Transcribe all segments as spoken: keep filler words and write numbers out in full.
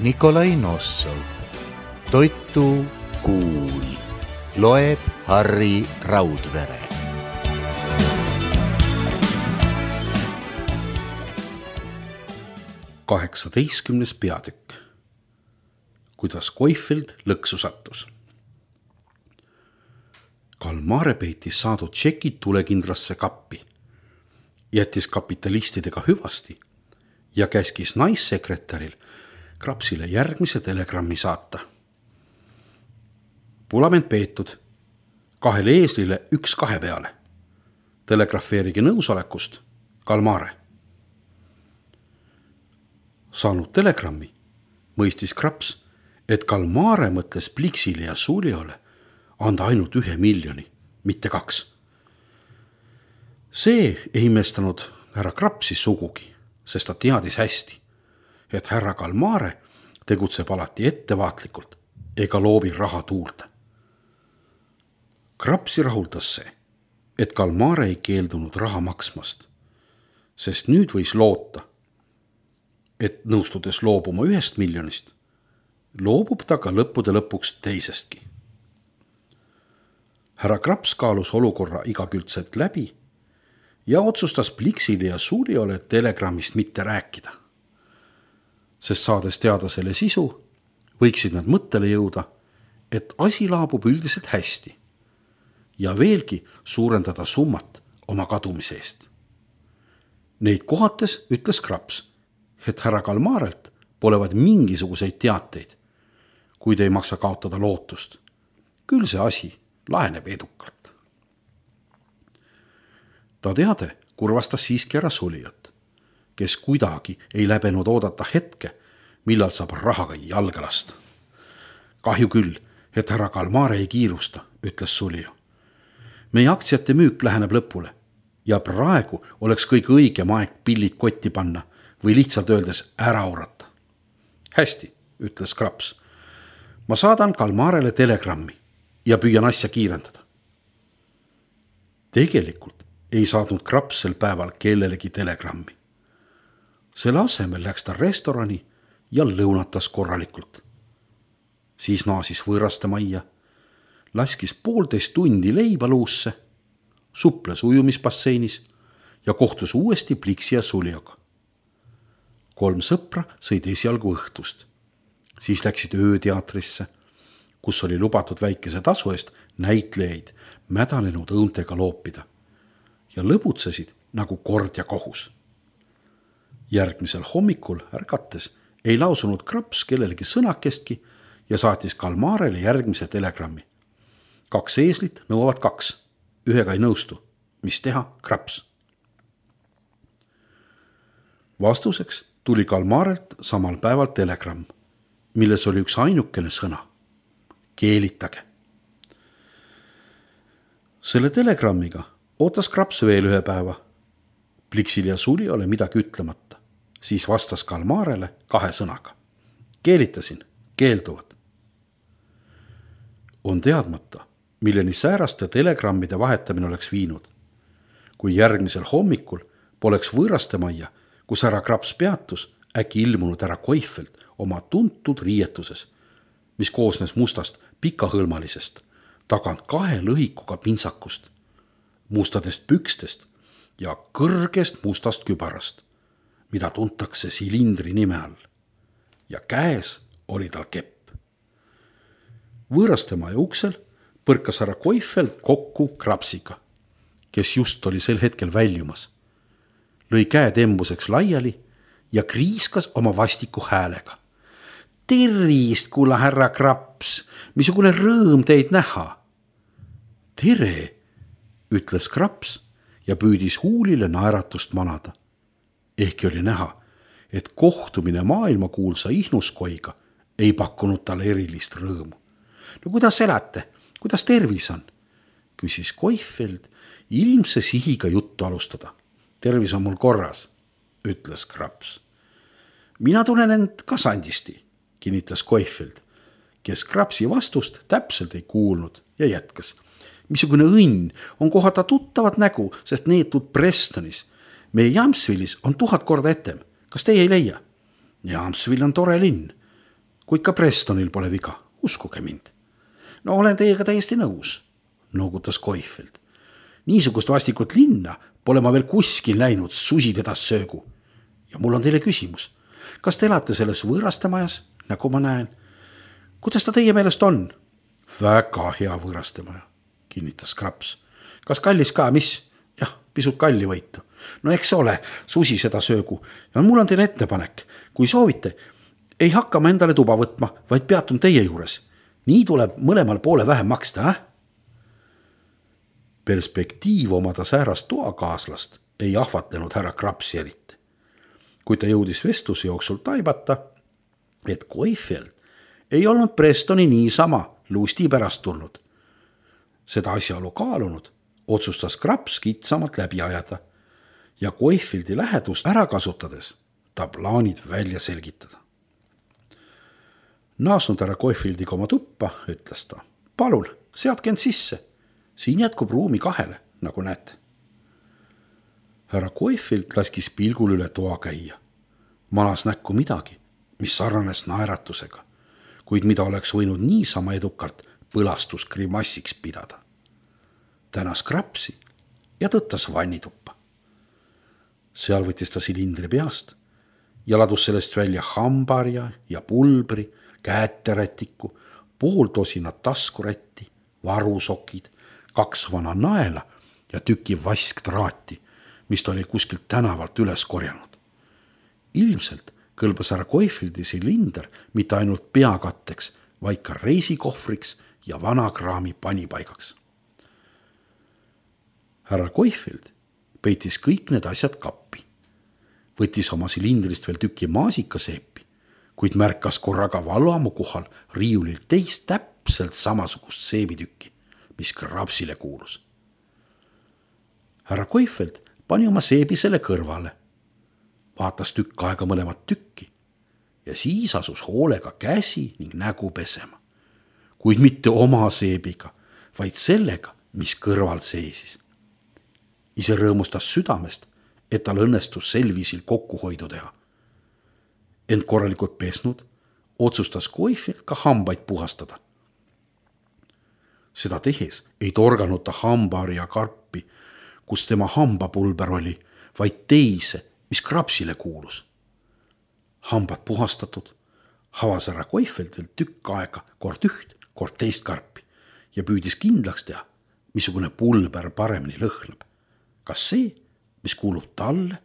Nikolai Nossov. Toitu kuul. Loeb Harri Raudvere. kaheksateistkümnes peatükk. Kuidas Koifeld lõksu sattus. Kalmare peitis saadud tšekid tulekindrasse kappi, jättis kapitalistidega hüvasti ja käskis naissekretäril Krapsile järgmise telegrammi saata. Pulament peetud, kahele eeslile üks kahe peale. Telegrafeerigi nõusolekust, Kalmare. Saanud telegrammi, mõistis Kraps, et Kalmare mõtles Pliksile ja Suliole anda ainult ühe miljoni, mitte kaks. See ei imestanud härra Krapsi sugugi, sest ta teadis hästi, et härra Kalmare tegutseb alati ettevaatlikult ega loobi raha tuulde. Krapsi rahuldas see, et Kalmare ei keeldunud raha maksmast, sest nüüd võis loota, et nõustudes loobuma ühest miljonist, loobub ta ka lõppude lõpuks teisestki. Härra Kraps kaalus olukorra igakülgselt läbi ja otsustas Pliksile ja Suliole telegrammist mitte rääkida, sest saades teada selle sisu, võiksid nad mõttele jõuda, et asi laabub üldiselt hästi ja veelgi suurendada summat oma kadumise eest. Neid kohates ütles Kraps, et härra Kalmarelt polevad mingisuguseid teateid, kuid ei maksa kaotada lootust. Küll see asi laheneb edukalt. Ta teade kurvastas siiski ära Sulijat, kes kuidagi ei läbenud oodata hetke, millal saab rahaga jalga lasta. Kahju küll, et härra Kalmare ei kiirusta, ütles Sulio. Meie aktsiate müük läheneb lõpule ja praegu oleks kõige õigem aeg pillid kotti panna või lihtsalt öeldes ära orata. Hästi, ütles Kraps. Ma saadan Kalmarele telegrammi ja püüan asja kiirendada. Tegelikult ei saadnud Kraps sel päeval kellelegi telegrammi. Selle asemel läks ta restorani ja lõunatas korralikult. Siis naasis võõraste majja, laskis poolteist tundi leiba luusse, suples ujumisbasseinis ja kohtus uuesti Pliksi ja Sulioga. Kolm sõpra sõid esialgu õhtust. Siis läksid ööteatrisse, kus oli lubatud väikese tasu eest näitlejaid mädanenud õuntega loopida ja lõbutsesid nagu kord ja kohus. Järgmisel hommikul ärgates ei lausunud Kraps kellelegi sõnakestki ja saatis Kalmarele järgmise telegrammi. Kaks eeslit nõuavad kaks, ühega ei nõustu. Mis teha, Kraps? Vastuseks tuli Kalmarelt samal päeval telegramm, milles oli üks ainukene sõna. Keelitage. Selle telegrammiga ootas Kraps veel ühe päeva. Pliksil ja Suliole midagi ütlemata. Siis vastas Kalmarele kahe sõnaga. Keelitasin, keelduvad. On teadmata, milleni sääraste telegrammide vahetamine oleks viinud. Kui järgmisel hommikul poleks võõraste majja, kus härra Kraps peatus, äkki ilmunud härra Koifeld oma tuntud riietuses, mis koosnes mustast pikahõlmalisest, tagant kahe lõhikuga pintsakust, mustadest pükstest ja kõrgest mustast kübarast, mida tuntakse silindri nime all. Ja käes oli tal kepp. Võõraste maja uksel põrkas härra Koifeld kokku Krapsiga, kes just oli sel hetkel väljumas. Lõi käed embuseks laiali ja kriiskas oma vastiku häälega. Tervist, kulla härra Kraps, missugune rõõm teid näha. Tere, ütles Kraps ja püüdis huulile naeratust manada. Ehkki oli näha, et kohtumine maailmakuulsa Ihnuskoiga ei pakkunud talle erilist rõõmu. No kuidas elate? Kuidas tervis on? Küsis Koifeld ilmse sihiga juttu alustada. Tervis on mul korras, ütles Kraps. Mina tunnen end kasandisti, kinnitas Koifeld, kes Krapsi vastust täpselt ei kuulnud ja jätkas. Missugune õnn on kohata tuttavat nägu, sest neetud Prestonis. Meie Jamsvillis on tuhat korda etem. Kas teie ei leia? Jamsvill on tore linn. kuid ka Prestonil pole viga, uskuge mind. No olen teiega täiesti nõus, noogutas Koifeld. Niisugust vastikut linna pole ma veel kuskil läinud, susid edas söögu. Ja mul on teile küsimus. Kas te elate selles võõrastemajas, nagu ma näen? Kuidas ta teie meelest on? Väga hea võõrastemaja, kinnitas Kraps. Kas kallis ka, mis? Jah, pisut kalli võitu. No eks ole, susi seda söögu. Ja mul on teile ettepanek. Kui soovite, ei hakka ma endale tuba võtma, vaid peatun teie juures. Nii tuleb mõlemal poole vähem maksta, äh? Perspektiiv omada säärast toakaaslast ei ahvatlenud härra Krapsi eriti. Kui ta jõudis vestluse jooksul taibata, et Koifeld ei olnud Prestoni niisama lusti pärast tulnud. Seda asjaolu kaalunud otsustas Kraps kitsamalt läbi ajada ja Koifeldi lähedust ära kasutades ta plaanid välja selgitada. Naasnud härra Koifeldiga oma tuppa, ütles ta. Palun, seadke end sisse. Siin jätkub ruumi kahele, nagu näete. Härra Koifeld laskis pilgul üle toa käia. Manas näkku midagi, mis sarnanes naeratusega, kuid mida oleks võinud niisama edukalt põlastusgrimassiks pidada. Tänas Krapsi ja tõttas vannituppa. Seal võttis ta silindri peast ja ladus sellest välja hambarja ja pulbri, käeterätiku, pool tosinat taskurätti, varusokid, kaks vana naela ja tüki vasktraati, mis ta oli kuskilt tänavalt üles korjanud. Ilmselt kõlbas härra Koifeldi silinder mitte ainult peakatteks, vaid ka reisikohvriks ja vanakraami panipaigaks. Härra Koifeld peitis kõik need asjad kappi. Võttis oma silindrist veel tüki maasikaseepi, kuid märkas korraga valvamu kohal riiulil teist täpselt samasugust seebitükki, mis Krapsile kuulus. Härra Koifeld pani oma seebi selle kõrvale, vaatas tükk aega mõlemat tükki ja siis asus hoolega käsi ning nägu pesema, kuid mitte oma seebiga, vaid sellega, mis kõrval seisis. Ise rõõmustas südamest, et tal õnnestus sel viisil kokkuhoidu teha. Ent korralikult pesnud, otsustas Koifeld ka hambaid puhastada. Seda tehes ei torganud ta hambaarja karpi, kus tema hambapulber oli, vaid teise, mis Krapsile kuulus. Hambad puhastatud, havas härra Koifeldil tükk aega kord üht, kord teist karpi ja püüdis kindlaks teha, missugune pulber paremini lõhnab. Kas see, mis kuulub talle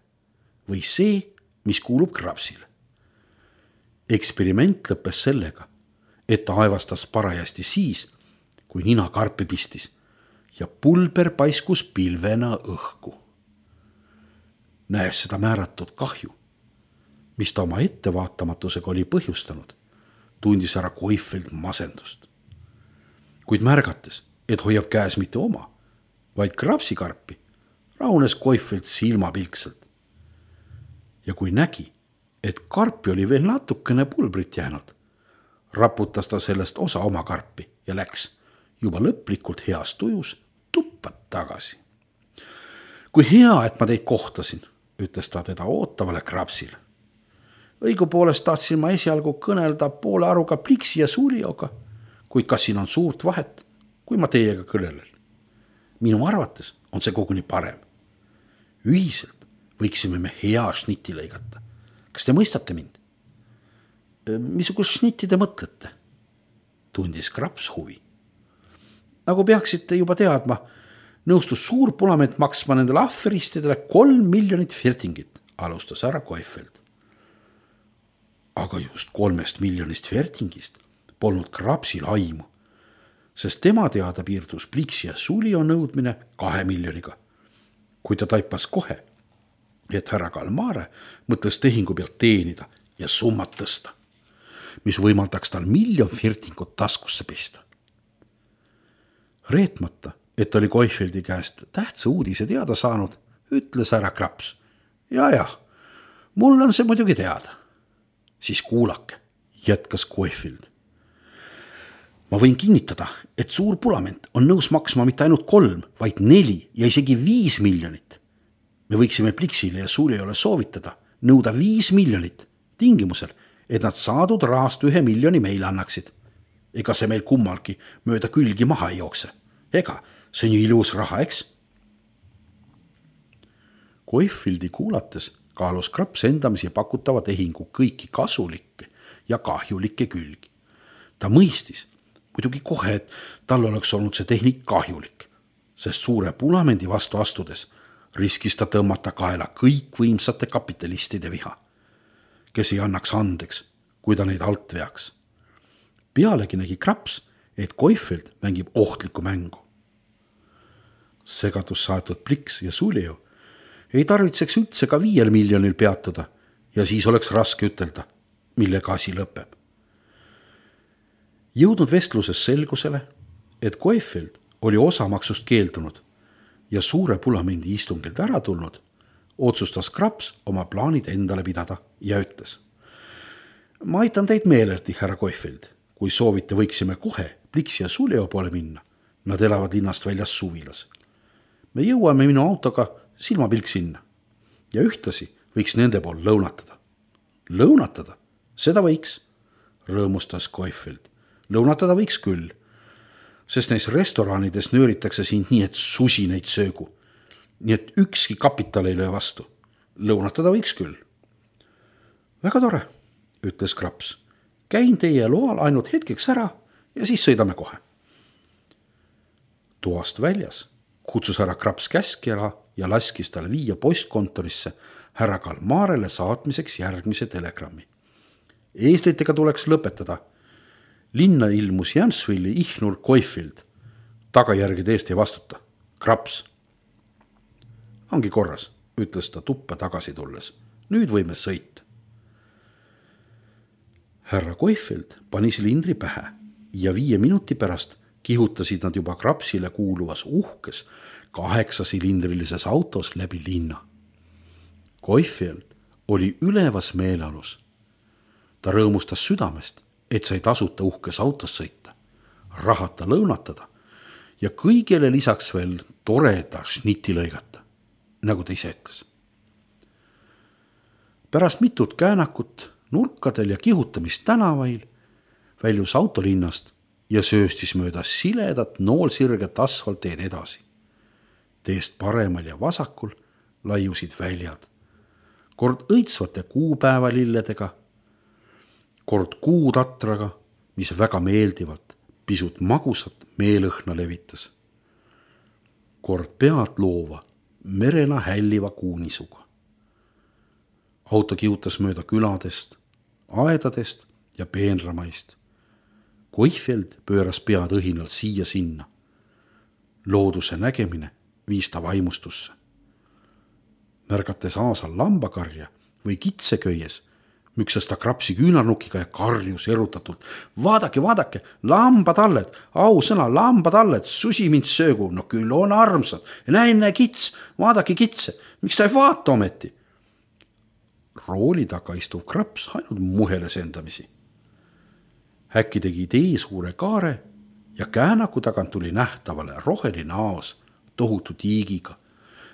või see, mis kuulub Krapsile. Eksperiment lõppes sellega, et ta aevastas parajasti siis, kui nina karpi pistis ja pulber paiskus pilvena õhku. Näes seda määratud kahju, mis ta oma ettevaatamatusega oli põhjustanud, tundis härra Koifeld masendust. Kuid märgates, et hoiab käes mitte oma, vaid Krapsi karpi, rahunes Koifeld silmapilkselt. Ja kui nägi, et karpi oli veel natukene pulbrit jäänud, raputas ta sellest osa oma karpi ja läks juba lõplikult heas tujus tuppa tagasi. Kui hea, et ma teid kohtasin, ütles ta teda ootavale Krapsile. Õigupoolest tahtsin ma esialgu kõnelda poole aruga Pliksi ja Sulioga, kuid kas siin on suurt vahet, kui ma teiega kõnelen. Minu arvates on see koguni parem. Ühiselt võiksime me hea šnitti lõigata. Kas te mõistate mind? Missugust šnitti te mõtlete? Tundis Kraps huvi. Nagu peaksite juba teadma, nõustus suur punament maksma nendele afferistidele kolm miljonit fertingit, alustas härra Koifeld. Aga just kolmest miljonist fertingist polnud Krapsil aimu, sest tema teada piirdus Pliksi ja Sulio nõudmine kahe miljoniga. Kui ta taipas kohe, et härra Kalmare mõtles tehingu pealt teenida ja summat tõsta, mis võimaldaks tal miljon fertingut taskusse pista. Reetmata, et oli Koifeldi käest tähtsa uudise teada saanud, ütles härra Kraps. Ja, jah, mul on see muidugi teada. Siis kuulake, jätkas Koifeld. Ma võin kinnitada, et suur punament on nõus maksma mitte ainult kolm, vaid neli ja isegi viis miljonit. Me võiksime Pliksile ja Suliole soovitada nõuda viis miljonit tingimusel, et nad saadud rahast ühe miljoni meile annaksid. Ega see meil kummalgi mööda külgi maha ei jookse. Ega see on ju ilus raha, eks? Koifildi kuulates kaalus Kraps endamisi pakutava tehingu kõiki kasulikke ja kahjulikke külgi. Ta mõistis muidugi kohe, et tal oleks olnud see tehnik kahjulik, sest suure punamendi vastu astudes riskis ta tõmmata kaela kõik võimsate kapitalistide viha, kes ei annaks andeks, kui ta neid alt veaks. Pealegi nägi Kraps, et Koifild mängib ohtlikku mängu. Segadus saetud Pliks ja Sulju ei tarvitseks üldse ka viiel miljonil peatuda ja siis oleks raske ütelda, millega asi lõpeb. Jõudnud vestluses selgusele, et Koifild oli osamaksust keeldunud ja suure punamendi istungilt ära tulnud, otsustas Kraps oma plaanid endale pidada ja ütles: ma aitan teid meelerdi, härra Koifild. Kui soovite, võiksime kohe Pliks ja Sulju poole minna. Nad elavad linnast väljas suvilas. Me jõuame minu autoga silmapilk sinna ja ühtlasi võiks nende pool lõunatada. Lõunatada? Seda võiks, rõõmustas Koifild. Lõunatada võiks küll, sest neis restoranides nööritakse sind nii, et susi neid söögu. Nii et ükski kapital ei löö vastu. Lõunatada võiks küll. Väga tore, ütles Kraps. Käin teie loal ainult hetkeks ära ja siis sõidame kohe. Toast väljas kutsus härra Kraps käskjala ja laskis talle viia postkontorisse härra Kalmarele saatmiseks järgmise telegrammi. Eeslitega tuleks lõpetada. Linna ilmus Jämsvilli Ihnur Koifild. Tagajärgide eest ei vastuta. Kraps. Ongi korras, ütles ta tuppa tagasi tulles. Nüüd võime sõita. Härra Koifild pani silindri pähe ja viie minuti pärast kihutasid nad juba Krapsile kuuluvas uhkes kaheksasilindrilises autos läbi linna. Koifild oli ülevas meeleolus. Ta rõõmustas südamest, et sai tasuta uhkes autos sõita, rahata lõunatada ja kõigele lisaks veel toreda šniti lõigata, nagu ta ise ütles. Pärast mitut käänakut nurkadel ja kihutamist tänavail väljus autolinnast ja sööstis mööda siledat noolsirget asfalteed edasi. Teest paremal ja vasakul laiusid väljad, kord õitsvate kuupäevalilledega, kord kuutatraga, mis väga meeldivalt pisut magusat meelõhna levitas. Kord pead loova, merena hälliva kuunisuga. Auto kihutas mööda küladest, aedadest ja peenramaist. Koifild pööras pead õhinalt siia sinna. Looduse nägemine viis ta vaimustusse. Märgates aasal lambakarja või kitseköies, müksas ta Krapsi küünarnukiga ja karjus erutatult. Vaadake, vaadake, lambatalled, ausõna, lambatalled, susi mind söögu, no küll on armsad. Näe, näe kits, vaadake kitse, miks ta ei vaata ometi? Rooli taga istuv Kraps ainult muheles endamisi. Äkki tegi tee suure kaare ja käänaku tagant tuli nähtavale roheline aos tohutu tiigiga,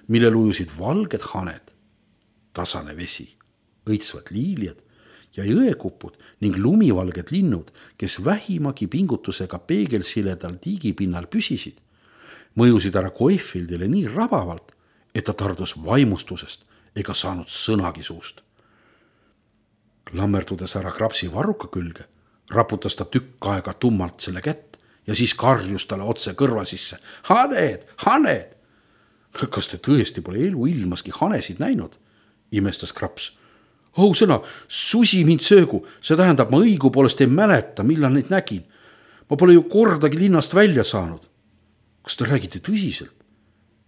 mille lujusid valged haned, tasane vesi, õitsvad liiljad ja jõekupud ning lumivalged linnud, kes vähimagi pingutusega peegelsiledal tiigipinnal püsisid, mõjusid ära Koifildile nii rabavalt, et ta tardus vaimustusest ega saanud sõnagi suust. Klammerdudes ära Krapsi varruka külge, raputas ta tükk aega tummalt selle kätt ja siis karjus talle otse kõrva sisse. Haned, haned! Kas te tõesti pole elu ilmaski hanesid näinud? Imestas Kraps. Oh sõna, susi mind söögu, see tähendab, ma õigu poolest ei mäleta, millal neid nägin. Ma pole ju kordagi linnast välja saanud. Kas te räägite tõsiselt?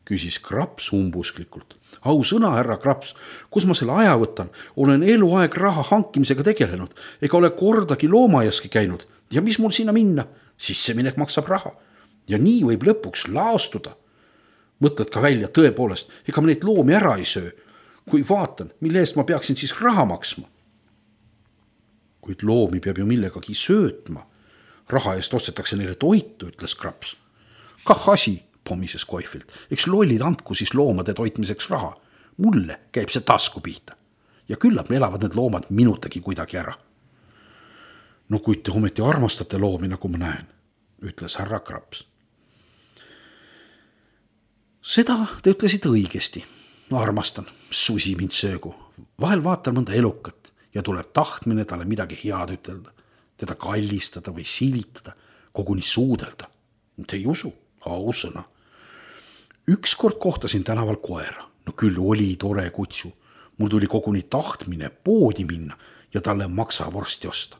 Küsis Kraps umbusklikult. Au sõna, härra Kraps, kus ma selle aja võtan? Olen eluaeg raha hankimisega tegelenud, ega ole kordagi loomajaski käinud. Ja mis mul sinna minna? Sisseminek maksab raha. Ja nii võib lõpuks laastuda. Mõtled ka välja tõepoolest, ega ma neid loomi ära ei söö. Kui vaatan, mille eest ma peaksin siis raha maksma. Kuid loomi peab ju millegagi söötma. Raha eest ostetakse neile toitu, ütles Kraps. Kah asi, pommises Koifild. Eks lollid andku siis loomade toitmiseks raha. Mulle käib see tasku pihta. Ja küllap elavad need loomad minutagi kuidagi ära. no kuid te ometi armastate loomi, nagu ma näen, ütles härra Kraps. Seda te ütlesite õigesti. Armastan, susi mind söögu. Vahel vaatan mõnda elukat ja tuleb tahtmine talle midagi head ütelda, teda kallistada või silitada, koguni suudelda. Te ei usu, ausõna. Ükskord kohtasin tänaval koera. No küll oli tore kutsu. Mul tuli koguni tahtmine poodi minna ja talle maksavorsti osta.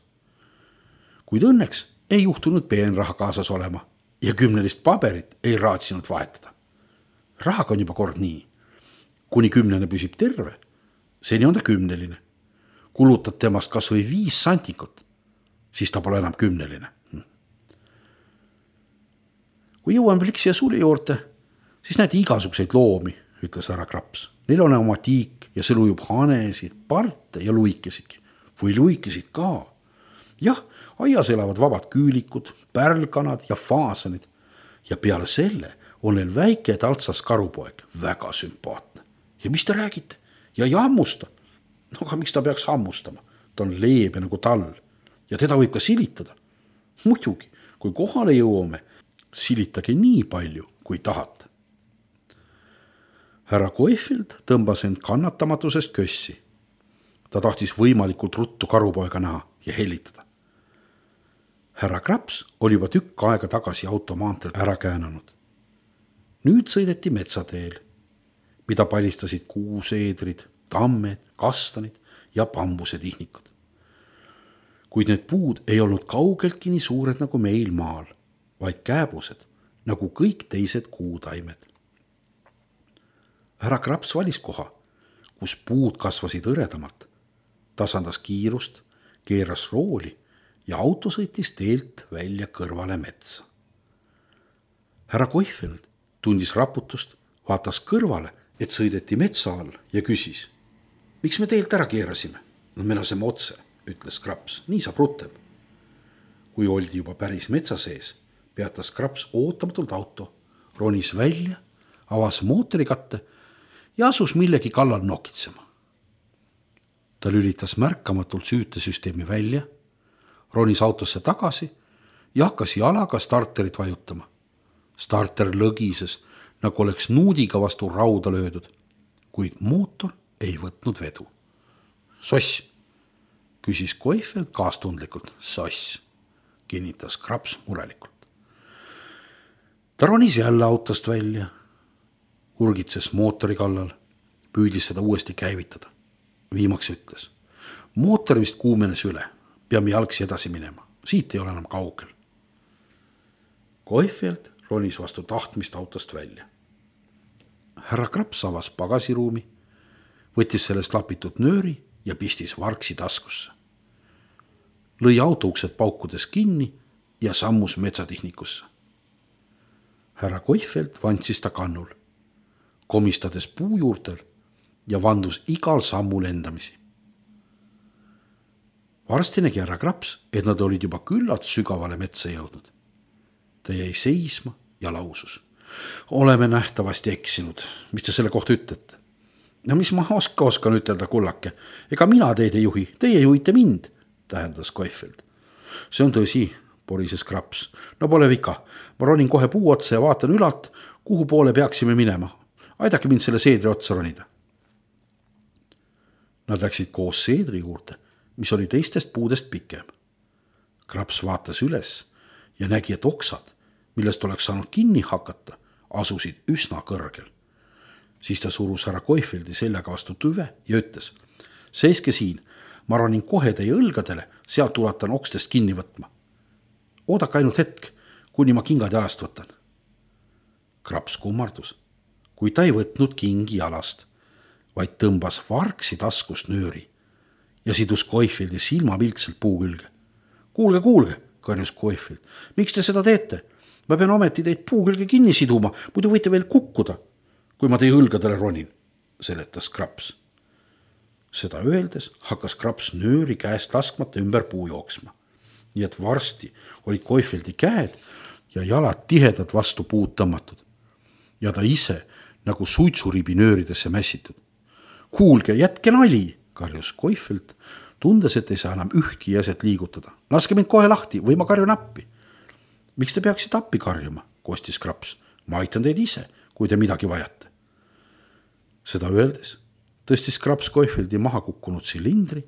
Kuid õnneks ei juhtunud peenraha kaasas olema ja kümnelist paberit ei raatsinud vahetada. Rahaga on juba kord nii. Kuni kümnene püsib terve, seni on ta kümneline. Kulutad temast kas või viis santikut, siis ta pole enam kümneline. Kui jõuan veel siia suli juurde, siis näete igasugseid loomi, ütles härra Kraps. Neil on oma tiik ja see lujub hanesid, parte ja luikesidki. Või luikesid ka. Jah, aias elavad vabad küülikud, pärlkanad ja faasanid. Ja peale selle on neil väike taltsas karupoeg, väga sümpaatne. Ja mis te räägite? Ja ei hammusta. No aga miks ta peaks hammustama? Ta on leebe nagu tall ja teda võib ka silitada. Muidugi, kui kohale jõuame, silitage nii palju, kui tahate. Härra Koifield tõmbas end kannatamatusest kössi. Ta tahtis võimalikult ruttu karupoega näha ja hellitada. Härra Kraps oli juba tükk aega tagasi automaantelt ära käänanud. Nüüd sõideti metsateel, mida palistasid kuuseedrid, tammed, kastanid ja bambusetihnikud. Kuid need puud ei olnud kaugeltki nii suured nagu meil maal, vaid kääbused nagu kõik teised kuutaimed. Härra Kraps valis koha, kus puud kasvasid õredamalt, tasandas kiirust, keeras rooli ja auto sõitis teelt välja kõrvale metsa. Härra Koifield tundis raputust, vaatas kõrvale, et sõideti metsa all ja küsis. Miks me teelt ära keerasime? No me laseme otse, ütles Kraps, nii saab rutem. Kui oldi juba päris metsa sees, peatas Kraps ootamatult auto, ronis välja, avas mootorikatte ja asus millegi kallal nokitsema. Ta lülitas märkamatult süütesüsteemi välja, ronis autosse tagasi ja hakkas jalaga starterit vajutama. Starter lõgises, nagu oleks nuudiga vastu rauda löödud, kuid mootor ei võtnud vedu. Soss, küsis Koifield kaastundlikult. Soss, kinnitas Kraps murelikult. Ta ronis jälle autost välja, urgitses mootori kallal, püüdis seda uuesti käivitada. Viimaks ütles, mootor vist kuumenes üle, peame jalgsi edasi minema, siit ei ole enam kaugel. Koifield ronis vastu tahtmist autost välja. Härra Kraps avas pagasiruumi, võttis sellest lapitud nööri ja pistis varksi taskusse. Lõi autouksed paukudes kinni ja sammus metsatihnikusse. Härra Koifield vandsis ta kannul, komistades puu juurtel ja vandus igal sammul endamisi. Varsti nägi härra Kraps, et nad olid juba küllalt sügavale metsa jõudnud. Ta jäi seisma ja lausus. Oleme nähtavasti eksinud. Mis te selle kohta ütlete? No mis ma oska oskan ütelda, kullake? Ega mina teid ei juhi, teie juhite mind, tähendas Koifield. See on tõsi, porises Kraps. No pole vika, ma ronin kohe puu otsa ja vaatan ülalt, kuhu poole peaksime minema. Aidake mind selle seedri otsa ronida. Nad läksid koos seedri juurde, mis oli teistest puudest pikem. Kraps vaatas üles ja nägi, et oksad, millest oleks saanud kinni hakata, asusid üsna kõrgel. Siis ta surus härra Koifieldi seljaga vastu tüve ja ütles, seiske siin, ma ronin kohe teie õlgadele, sealt ulatan okstest kinni võtma. Oodake ainult hetk, kuni ma kingad jalast võtan. Kraps kummardus, kui ta ei võtnud kingi jalast, vaid tõmbas varksi taskust nööri ja sidus Koifieldi silmapilkselt puu külge. Kuulge, kuulge, karjus Koifield, miks te seda teete? Ma pean ometi teid puu külge kinni siduma, muidu võite veel kukkuda, kui ma teie õlgadele ronin, seletas Kraps. Seda öeldes hakkas Kraps nööri käest laskmata ümber puu jooksma. Nii et varsti olid Koifieldi käed ja jalad tihedalt vastu puud tõmmatud. Ja ta ise nagu suitsuribi nööridesse mässitud. Kuulge, jätke nali, karjus Koifield, tundes, et ei saa enam ühtki jäset liigutada. Laske mind kohe lahti või ma karjun appi. Miks te peaksite appi karjuma, kostis Kraps. Ma aitan teid ise, kui te midagi vajate. Seda öeldes tõstis Kraps Koifeldi maha kukkunud silindri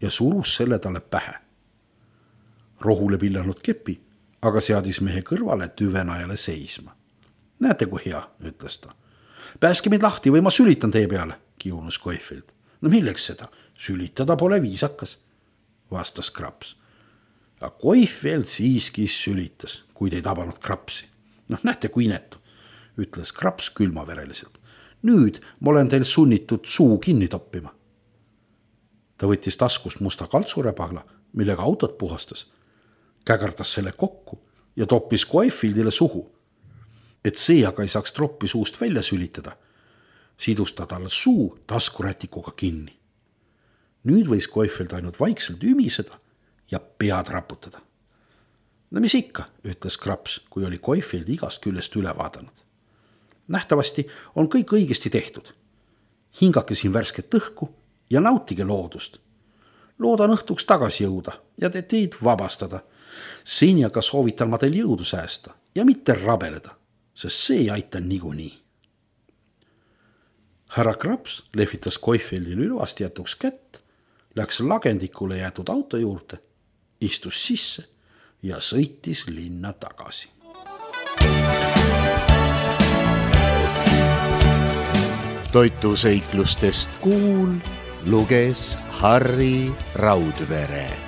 ja surus selle talle pähe. Rohule pillanud kepi, aga seadis mehe kõrvale tüvenajale seisma. Näete, kui hea, ütles ta. Pääske mind lahti või ma sülitan teie peale, kiunus Koifeld. No milleks seda? Sülitada pole viisakas, vastas Kraps. Ja Koifeld siiski sülitas, kuid ei tabanud Krapsi. Noh, näete, kui inetu, ütles Kraps külmavereliselt. Nüüd ma olen teil sunnitud suu kinni toppima. Ta võttis taskust musta kaltsurebahla, millega autot puhastas, kägerdas selle kokku ja toppis Koifeldile suhu. Et see aga ei saaks troppi suust välja sülitada, sidus ta talle suu taskurätikuga kinni. Nüüd võis Koifeld ainult vaikselt ümiseda ja pead raputada. No mis ikka, ütles Kraps, kui oli Koifeld igast küljest üle vaadanud. Nähtavasti on kõik õigesti tehtud. Hingake siin värsket õhku ja nautige loodust. Loodan õhtuks tagasi jõuda ja te teid vabastada. Seni aga soovitan ma teil jõudu säästa ja mitte rabeleda, sest see ei aita niikuinii. Härra Kraps lehvitas Koifeldile ülvasti jätuks kätt, läks lagendikule jäetud auto juurde, istus sisse ja sõitis linna tagasi. Toituseiklustest Kuul luges Harri Raudvere.